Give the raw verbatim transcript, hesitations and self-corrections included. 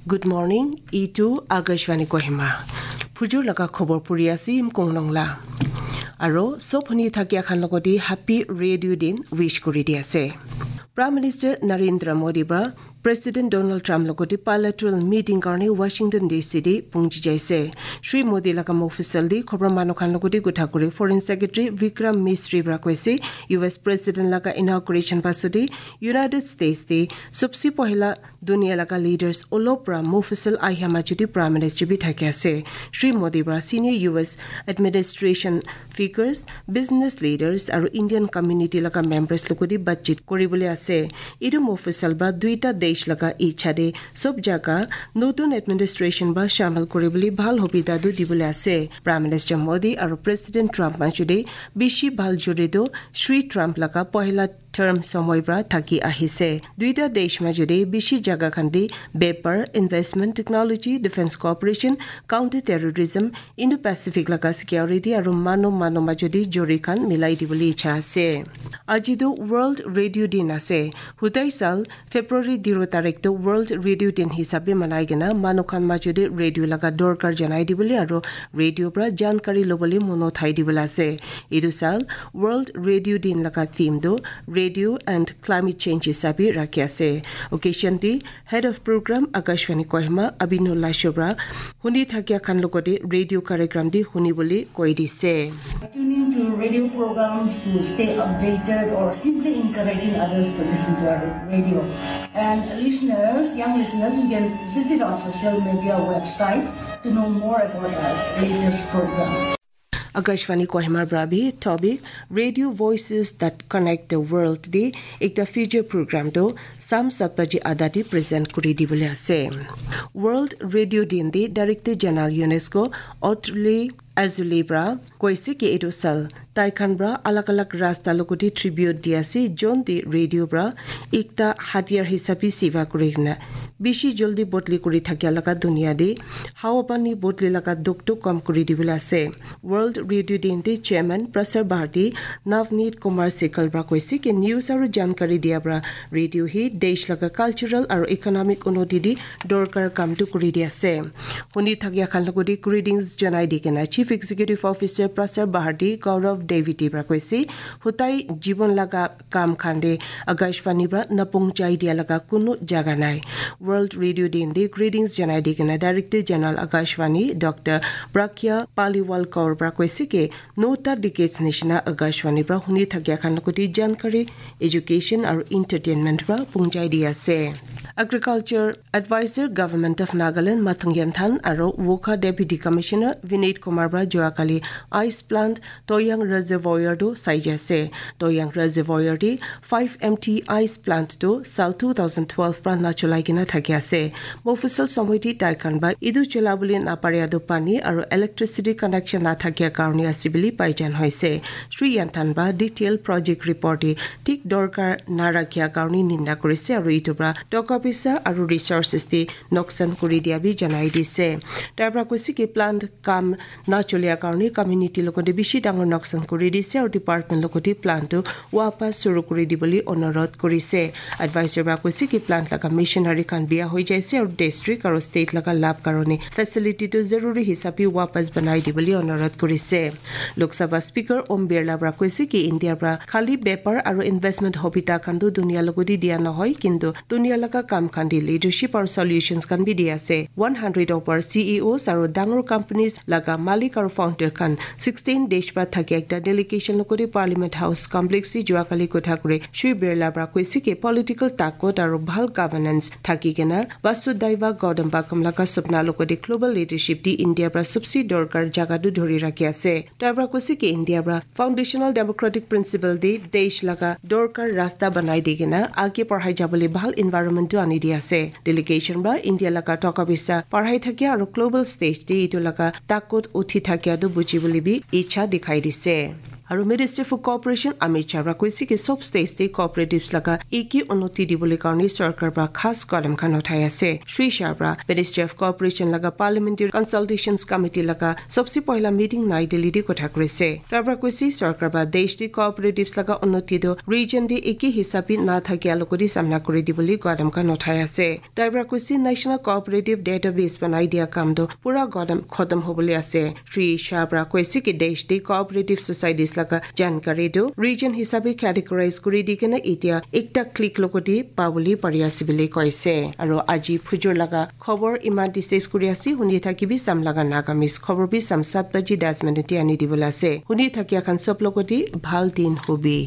Good morning, itu Akashvani Kohima. Phujur laga khobor puri asi Imkong Nongla. Aro, sob hwnwi thakya khan logodi Happy Radio Din wish kuri di ase. Prime Minister Narendra Modi ba President Donald Trump logodi bilateral meeting karni Washington D C di pungji jaise. Shri Modi laga mofisal di khobor mano khan logodi gutha kuri Foreign Secretary Vikram Misri bra koise U S President laga inauguration pasudi United States di subsi pohila dunia laga leaders olop ra mofisal aihama judi Prime Minister bi thakya se. Shri Modi bra senior U S administration figures, business leaders aro Indian community laga members lukudi batchit koribole ase. Idu mofisal ba duita desh laga ichha de sob jaga notun administration ba shamil koribole bhal hobida du dibole ase. Prime Minister Modi aro President Trump ma judi bishi bhal juri do Shri Trump laga pohila term somoi bra thaki ahise. Duita desh ma judi bishi jaga khandi bepar, investment, technology, defense cooperation, counter terrorism, Indo-Pacific laga security aro mano mano ma judi juri khan milai di boli icha ase. Aji do World Radio Din ase. Hutai sal February diro tarik to World Radio Din hisabe manai gena mano khan ma judi radio laga dorkar janai di boli aro radio bra jankari loboli mono thai di boli ase. Idu sal World Radio Din laga theme do Radio and Climate Change hisabe rakhi ase. Occasion di Head of Program Akashvani Kohima Abinullah Shobra huni thakya khan logode radio karyagram di huni boli koi di se. Tuning to radio programs to stay updated or simply encouraging others to listen to our radio. And listeners, young listeners, you can visit our social media website to know more about our latest program. Akashvani Kohima brabi topic Radio Voices That Connect the World di ekta feature program do sam sat baji adadi present kuri di bole ase. World Radio Din di Director General UNESCO Otli Azuli bra koise ke edo sal tai khan bra alag alag rasta logodi tribute di ase jon di radio bra ekta hatiyar hisabi siva kuri na bishi joldi botli kuri thakya laga dunia di hawa pani botli laga duk duk kom kuri di bole ase. World Radio Din di Chairman Prasar Bharati Navneet Kumar Sehgal bra koise ke news aro jankari dia bra radio hi desh laga cultural aro economic unoti di dorkar kam tu kuri di ase. Huni thakya khan logodi greetings janai di kena Chief Executive Officer Prasar Bharati Gaurav Deviti bra koise hutai jibon laga kam khande Akashvani bra napung chai dia laga kunu jaga nai. World Radio Din di greetings janai di kena Director General Akashvani Doctor Pragya Paliwalkar bra koise ke nota decades nishina Akashvani bra huni thakya khan logodi jankari education aro entertainment bra pung chai di ase. Agriculture Advisor Government of Nagaland Mathang Yanthan aro Wokha Deputy Commissioner Vinit Kumar bra Joakali Ice Plant Toyang Reservoir do saijase. Toyang Reservoir di five M T Ice Plant do sal two thousand twelve pra nacholai gina thaki ase. Mofusal somoi di taikan ba idu cholabuli naparia do pani aro electricity connection na thakia karni asibili paijan hoise. Shri Yanthan ba detail project report di thik dorkar na rakhia karni ninda korise aro itubra toka pisa aro resources di noksan kuri dia bi janai dise. Tabra kusiki plant kam na cholia karni community lokoti bishi dangor noksan kuri dise aro department lokoti plant tu wapas suru kuri di boli onorot kuri se. Advisor ba kusiki plant laga machinery kan biya hoi jai se aro district aro state laga lab karoni facility tu zaruri hisabi wapas banai di boli onorot kuri se. Lok Sabha Speaker Om Birla bra kusiki India bra khali bepar aro investment hobita kandu dunia logodi dia na hoi kintu dunia laga kam kandi leadership aro solutions kan bi dia se. One hundred over C E Os aro dangor companies laga malik aro founder khan sixteen desh ba thaki ekta delegation lokori Parliament House Complex si juakali kotha kore Shri Birla bra koisi ke political takot aro bhal governance thaki kena Vasudhaiva Gautam Bakam laga supna lokori global leadership di India bra subsi dorkar jaga du dhori rakhi ase. Tabra koisi ke India bra foundational democratic principle di desh laga dorkar rasta banai di kena age parhai jabali bhal environment du ani di ase. Delegation ba India laga toka bisa parhai thakia aro global stage di itu laga takot uthi thakia do buji buli bi icha dikhai dise. Aro Ministry for Cooperation Amit Shah bra koisi ki sob state tei cooperatives laga eki unnoti dibole karone sorkar bra khas kodam khan uthai ase. Shri Shah bra Ministry of Cooperation laga Parliamentary Consultations Committee laga sobse pohila meeting Nai Delhi di kotha krise. Tabra koisi sorkar bra desh di cooperatives laga unnoti do region di eki hisabi na thaki alokori samna kori dibole kodam khan uthai ase. Tabra koisi National Cooperative Database banai dia kam do pura kodam khotom hobole ase. Shri Shah bra koisi ki desh di cooperative societies laga jankari do region hisabi categorize kori di kena itia ekta click lokoti paboli pari ase bile koise. Aro aji phujur laga khobor iman di ses kori ase huni thaki bi sam laga Nagamese khobor bi sam sat baji das minute ani dibole ase. Huni thaki akhan sob lokoti bhal din hobi.